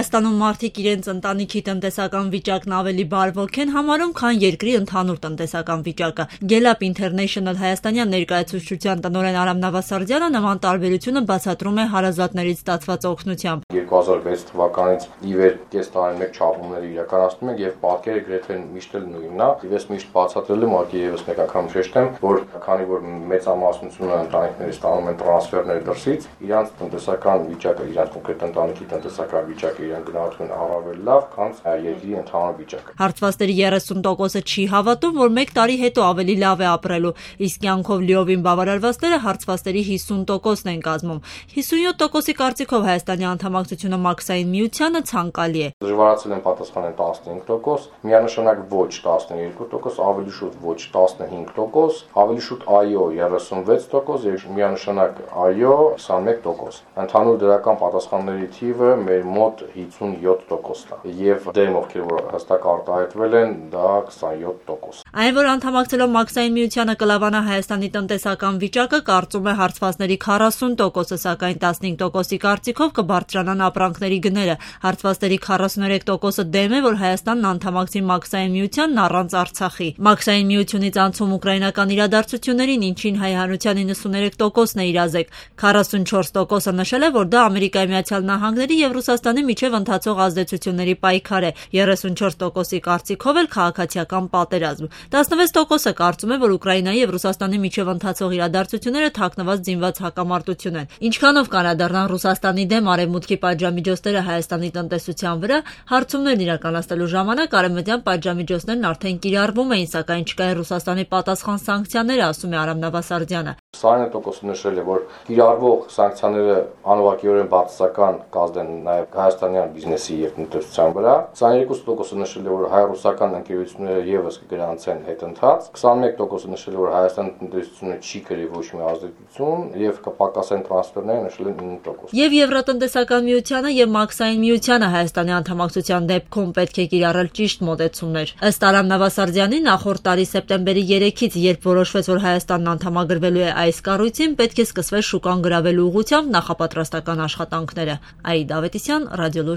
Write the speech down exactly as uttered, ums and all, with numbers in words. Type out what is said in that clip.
Հայաստանում մարդիկ իրենց ընտանիքի տնտեսական վիճակն ավելի բարվոք են համարում, քան երկրի ընդհանուր տնտեսական վիճակը։ Gallup International հայաստանյան ներկայացուցչության տնօրեն Արամ Նավասարդյանը նման տարբերությունը բացատրում է հարազատներից ստացված օգնությամբ։ երկու հազար վեց թվականից ի վեր կես տարի մեկ չափումները իրականացնում ենք եւ պատկերը գրեթե միշտ էլ նույնն է։ Ես միշտ բացատրել եմ, ակի եւս մեկ անգամ շեշտեմ, որ քանի որ մեծամասնությունը ընտանիքների ստանում են տրանսֆերներ դրսից, իրանց տնտեսական վիճակը, իրանց կոնկրետ ընտանիքի տնտեսական վիճակը իրեն գնահատում են առավել լավ, քան երկրի ընդհանուր վիճակը։ Հարցվածների երեսուն տոկոսը չի հավատում, որ մեկ տարի հետո ավելի լավ է ապրելու, իսկ կյանքով լիովին բավարարվածները հարցվածների հիսուն տոկոսն են կազմում։ հիսունյոթ տոկոսի կարծիքով Հայաստանի անդամակցությունը մաքսային միությանը ցանկալի է։ Դժվարացել են պատասխանել տասնհինգ տոկոս, միանշանակ ոչ տասներկու տոկոս, ավելի շուտ ոչ տասնհինգ տոկոս, ավելի շուտ այո երեսունվեց տոկոս եւ միանշանակ այո հիսունմեկ տոկոս։ Ընդհանուր դրական պատասխանների թիվը մեր մոտ հիսունյոթ տոկոսն է եւ դեմ ովքեր որ հստակ արտահայտվել են դա քսանյոթ տոկոս։ Այն որ անդամակցելով մաքսային միությանը կլավանա Հայաստանի տնտեսական վիճակը, կարծում է հարցվածների քառասուն տոկոսը, սակայն տասնհինգ տոկոսի կարծիքով կբարձրանան ապրանքների գները։ Հարցվածների քառասուներեք տոկոսը դեմ է, որ Հայաստանն անդամակցի մաքսային միությանն առանց Արցախի։ Մաքսային միությունից անցում ուկրաինական իրադարձություններին, ինչին հայ հանրության իննսուներեք տոկոսն է իրազեկ։ քառասունչորս տոկոսը նշել է, որ դա Ամերիկայի Միացյալ Նահանգների եւ Ռուսաստանի միջև ընթացող ազդեցությունների պայքար է։ երեսունչորս տոկոսի կարծիքով էլ քաղաքացիական պատերազմ։ տասնվեց տոկոսը կարծում է, որ Ուկրաինայի եւ Ռուսաստանի միջև ընթացող իրադարձությունները թաքնված զինված հակամարտություն են։ Ինչքանով կանադառնան Ռուսաստանի դեմ արևմուտքի պատժամիջոցները Հայաստանի տնտեսության վրա, հարցումներն իրականացնելու ժամանակ արևմտյան պատժամիջոցներն արդեն կիրառվում էին, սակայն չկային Ռուսաստանի պատասխան սանկցիաները, ասում է Արամ Նավասարդյանը։ Սարանը տոկոսը նշել է, որ կիրառվող սանկցիաները անուղղակիորեն բացասական կազդեն նաև հայաստանյան բիզնեսի եւ տնտեսության վրա։ քսաներկու տոկոսը նշել է, որ հայ-ռուսական ընկերությունները եւս կգրանցեն հետընթաց։ քսանմեկ տոկոսը նշել է, որ Հայաստանի տնտեսությունը չի կրի ոչ մի ազդեցություն եւ կպակասեն տրանսֆերները, նշել են ինը տոկոս։ Եվ Եվրատնտեսական միությանը եւ մաքսային միությանը Հայաստանի անդամակցության դեպքում պետք է կիրառել ճիշտ մոտեցումներ։ Ըստ Արամ Նավասարդյանի, նախորդ տարի սեպտեմբերի երեքից, երբ որոշվեց, որ Հայաստանն անդամագրվելու է այս կառույցին, պետք է սկսվեր շուկան գրավելու ուղղությամբ նախապատրաստական աշխատանքները։ Արիդ Ավետիսյան, Ռադիոլուր